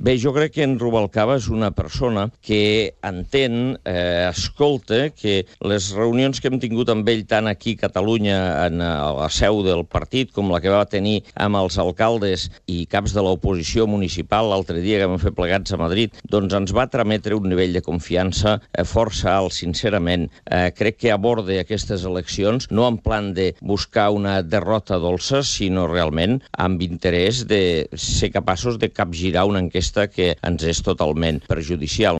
Bé, jo crec que en Rubalcaba és una persona que entén, escolta, que les reunions que hem tingut amb ell tant aquí a Catalunya, a la seu del partit, com la que va tenir amb els alcaldes i caps de l'oposició municipal l'altre dia que vam fer plegats a Madrid, doncs ens va trametre un nivell de confiança força alt, sincerament. Crec que aborda aquestes eleccions no en plan de buscar una derrota dolça, sinó realment amb interès de ser capaços de capgirar una enquesta que ens és totalment perjudicial.